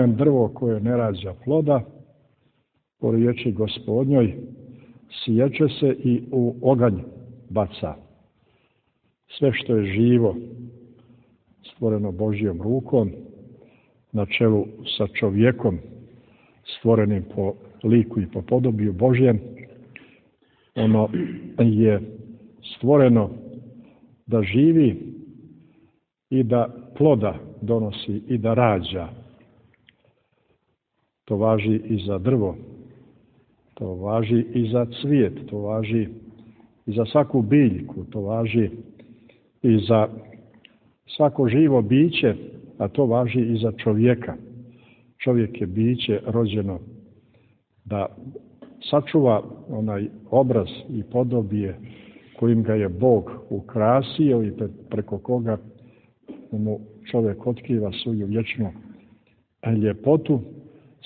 drvo koje ne rađa ploda, po riječi Gospodnjoj, siječe se i u oganj baca. Sve što je živo, stvoreno Božjom rukom, na čelu sa čovjekom, stvorenim po liku i po podobiju Božjem, ono je stvoreno da živi i da ploda donosi i da rađa. To važi i za drvo, to važi i za cvijet, to važi i za svaku biljku, to važi i za svako živo biće, a to važi i za čovjeka. Čovjek je biće rođeno da sačuva onaj obraz i podobije kojim ga je Bog ukrasio i preko koga mu čovjek otkriva svoju vječnu ljepotu.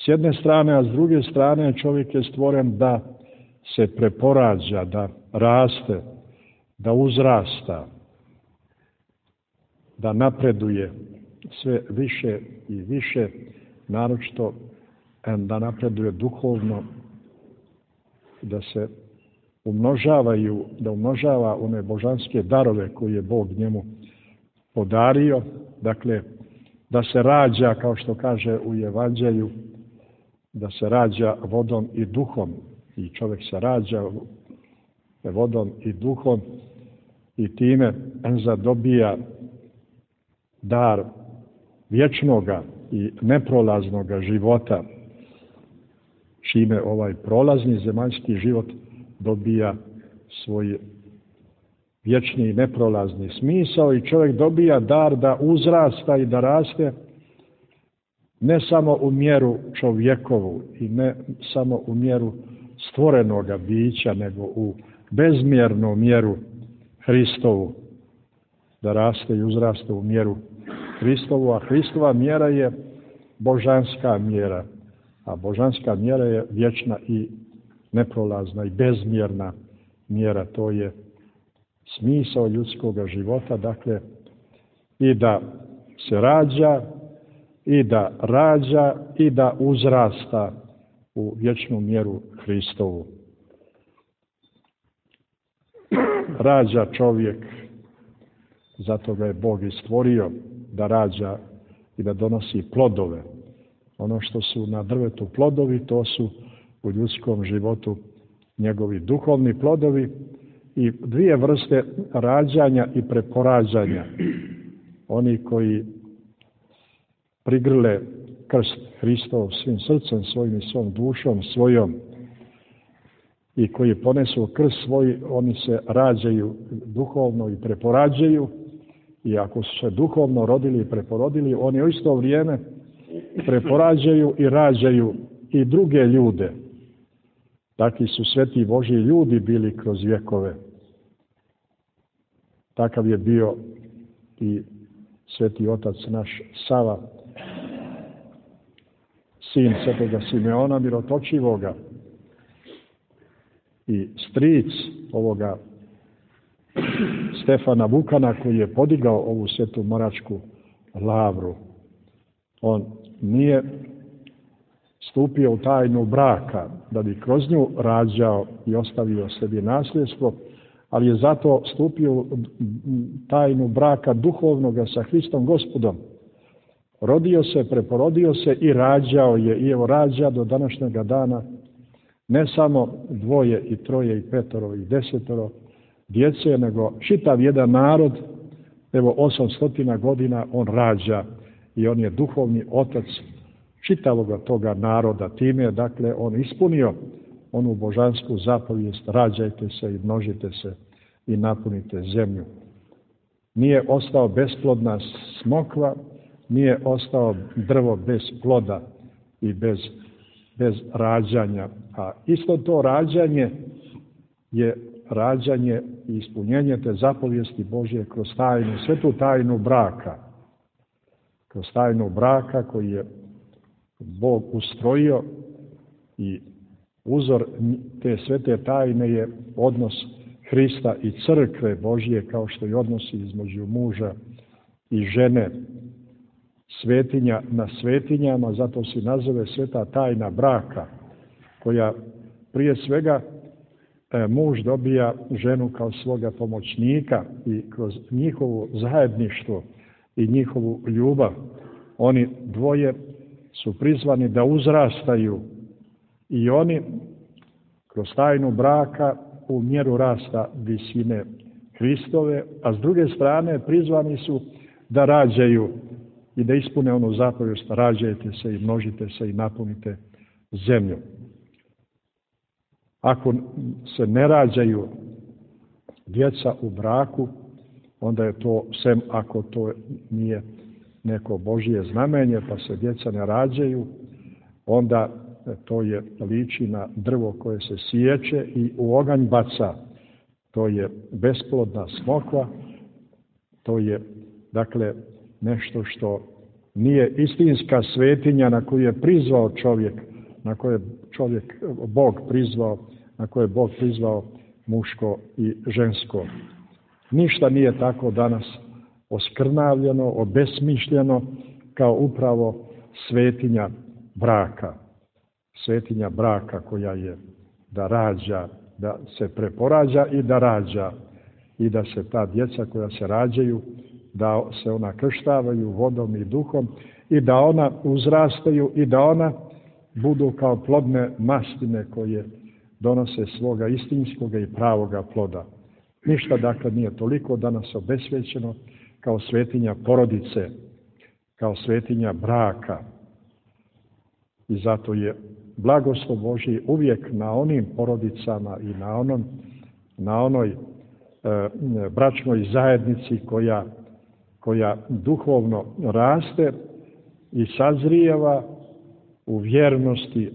S jedne strane, a s druge strane čovjek je stvoren da se preporađa, da raste, da uzrasta, da napreduje sve više i više, naročito da napreduje duhovno, da se umnožava one božanske darove koje je Bog njemu podario, dakle, da se rađa, kao što kaže u Evanđelju, da se rađa vodom i duhom. I čovjek se rađa vodom i duhom i time zadobija dar vječnoga i neprolaznoga života, čime ovaj prolazni zemaljski život dobija svoj vječni i neprolazni smisao i čovjek dobija dar da uzrasta i da raste ne samo u mjeru čovjekovu i ne samo u mjeru stvorenoga bića, nego u bezmjernu mjeru Hristovu, da raste i uzraste u mjeru Hristovu, a Hristova mjera je božanska mjera, a božanska mjera je vječna i neprolazna i bezmjerna mjera. To je smisao ljudskog života, dakle, i da se rađa, i da rađa, i da uzrasta u vječnu mjeru Hristovu. Rađa čovjek, zato ga je Bog i stvorio, da rađa i da donosi plodove. Ono što su na drvetu plodovi, to su u ljudskom životu njegovi duhovni plodovi i dvije vrste rađanja i preporađanja. Oni koji prigrle krst Hristov svim srcem svojim i svom dušom svojom i koji ponesu krst svoj, oni se rađaju duhovno i preporađaju, i ako su se duhovno rodili i preporodili, oni u isto vrijeme preporađaju i rađaju i druge ljude. Takvi su sveti Božji ljudi bili kroz vjekove. Takav je bio i sveti otac naš Sava, sin svetoga Simeona Mirotočivoga i stric ovoga Stefana Vukana, koji je podigao ovu svetu monačku lavru. On nije stupio u tajnu braka da bi kroz nju rađao i ostavio sebi nasljedstvo, ali je zato stupio u tajnu braka duhovnoga sa Hristom Gospodom. Rodio se, preporodio se i rađao je, i evo rađa do današnjega dana ne samo 2 i 3 i 5 i 10 djece, nego čitav jedan narod, evo 800 godina on rađa i on je duhovni otac čitavoga toga naroda. Time je, dakle, on ispunio onu božansku zapovijest: rađajte se i množite se i napunite zemlju. Nije ostao besplodna smokva, nije ostao drvo bez ploda i bez rađanja. A isto to rađanje je rađanje i ispunjenje te zapovijesti Božje kroz tajnu, svetu tajnu braka. Kroz tajnu braka koji je Bog ustrojio, i uzor te svete tajne je odnos Hrista i crkve Božje, kao što je odnos između muža i žene. svetinja na svetinjama, zato se nazove sveta tajna braka, koja prije svega muž dobija ženu kao svoga pomoćnika i kroz njihovo zajedništvo i njihovu ljubav oni dvoje su prizvani da uzrastaju i oni kroz tajnu braka u mjeru rasta visine Hristove, a s druge strane prizvani su da rađaju i da ispune onu zapovijest: rađajte se i množite se i napunite zemlju. Ako se ne rađaju djeca u braku, onda je to, sem ako to nije neko Božje znamenje, pa se djeca ne rađaju, onda to je liči na drvo koje se siječe i u oganj baca. To je besplodna smokva, to je, dakle, nešto što nije istinska svetinja na koju je prizvao čovjek, na koje čovjek, Bog prizvao, na koje je Bog prizvao muško i žensko. Ništa nije tako danas oskrnavljeno, obesmišljeno kao upravo svetinja braka. Svetinja braka koja je da rađa, da se preporađa i da rađa i da se ta djeca koja se rađaju, da se ona krštavaju vodom i duhom i da ona uzrastaju i da ona budu kao plodne mastine koje donose svoga istinskoga i pravoga ploda. Ništa dakle nije toliko danas obesvećeno kao svetinja porodice, kao svetinja braka. I zato je blagoslov Božji uvijek na onim porodicama i na onoj bračnoj zajednici koja duhovno raste i sazrijeva u vjernosti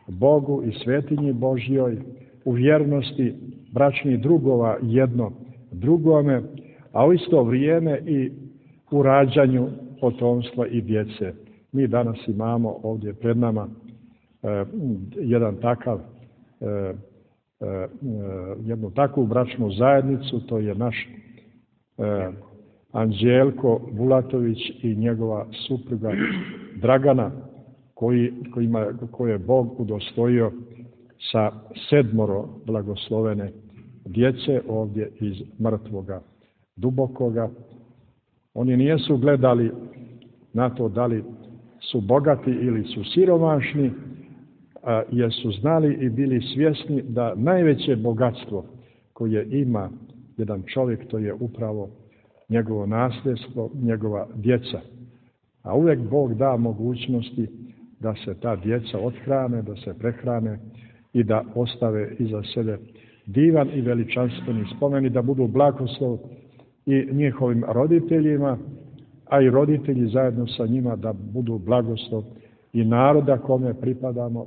Bogu i svetinji Božjoj, u vjernosti bračnih drugova jedno drugome, a u isto vrijeme i u rađanju potomstva i djece. Mi danas imamo ovdje pred nama jednu takvu bračnu zajednicu, to je naš Anđelko Bulatović i njegova supruga Dragana, koje je Bog udostojio sa 7 blagoslovene djece ovdje iz mrtvoga dubokoga. Oni nisu gledali na to da li su bogati ili su siromašni, jer su znali i bili svjesni da najveće bogatstvo koje ima jedan čovjek, to je upravo njegovo nasljedstvo, njegova djeca. A uvijek Bog da mogućnosti da se ta djeca othrane, da se prehrane i da ostave iza sebe divan i veličanstveni spomen i da budu blagoslov i njihovim roditeljima, a i roditelji zajedno sa njima da budu blagoslov i naroda kome pripadamo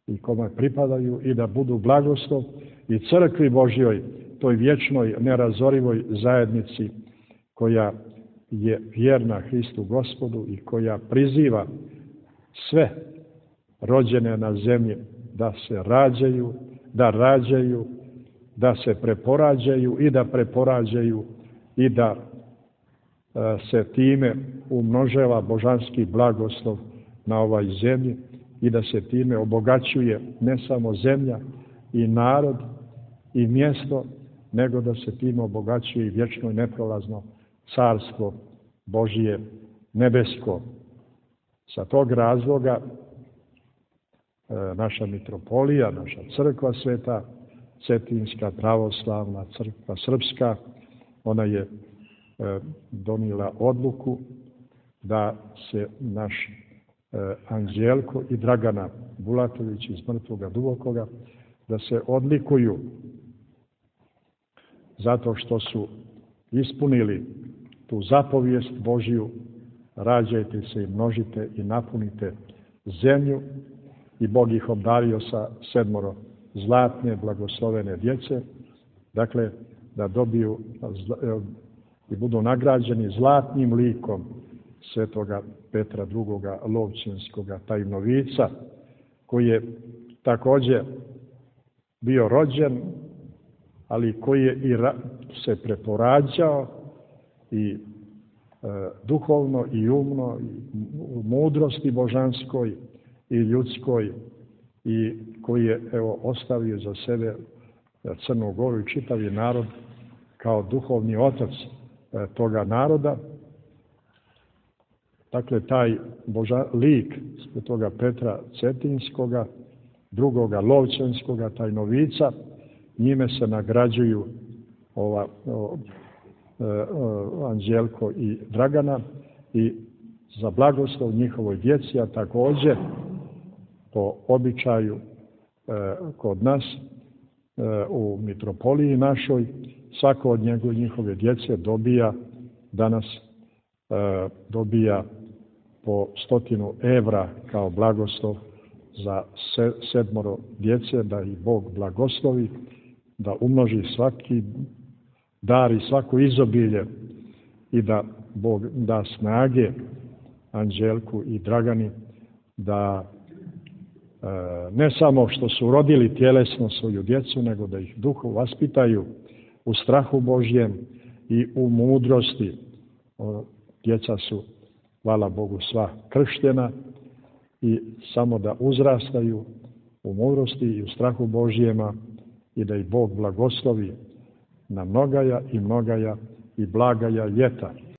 i kome pripadaju i da budu blagoslov i crkvi Božjoj, toj vječnoj, nerazorivoj zajednici koja je vjerna Hristu Gospodu i koja priziva sve rođene na zemlji da se rađaju, da se preporađaju i da preporađaju i da se time umnožava božanski blagoslov na ovoj zemlji i da se time obogaćuje ne samo zemlja i narod i mjesto, nego da se time obogaćuje i vječno i neprolazno carstvo Božije nebesko. Sa tog razloga naša mitropolija, naša crkva sveta, Cetinska pravoslavna crkva srpska, ona je donijela odluku da se naš Anđelko i Dragana Bulatović iz mrtvoga dubokoga, da se odlikuju zato što su ispunili tu zapovijest Božju: rađajte se i množite i napunite zemlju, i Bog ih obdario sa 7 zlatne blagoslovene djece, dakle da dobiju i budu nagrađeni zlatnim likom svetoga Petra II. Lovćenskoga tajnovica, koji je također bio rođen, ali koji je i se preporađao i duhovno i umno, i u mudrosti božanskoj i ljudskoj, i koji je ostavio za sebe Crnu Goru i čitavi narod kao duhovni otac toga naroda. Dakle, taj lik toga Petra Cetinskoga, drugoga Lovćenskoga, taj novica, njime se nagrađuju Anđelko i Dragana i za blagoslov njihovoj djeci, a također po običaju kod nas u mitropoliji našoj, svako od njihove djece danas dobija po 100 evra kao blagoslov za 7 djece, da ih Bog blagoslovi, da umnoži svaki dar i svako izobilje i da Bog da snage Anđelku i Dragani da ne samo što su rodili tjelesno svoju djecu, nego da ih duhu vaspitaju u strahu Božjem i u mudrosti. Djeca su, hvala Bogu, sva krštena i samo da uzrastaju u mudrosti i u strahu Božjema i da ih Bog blagoslovi na mnogaja i mnogaja i blagaja ljeta.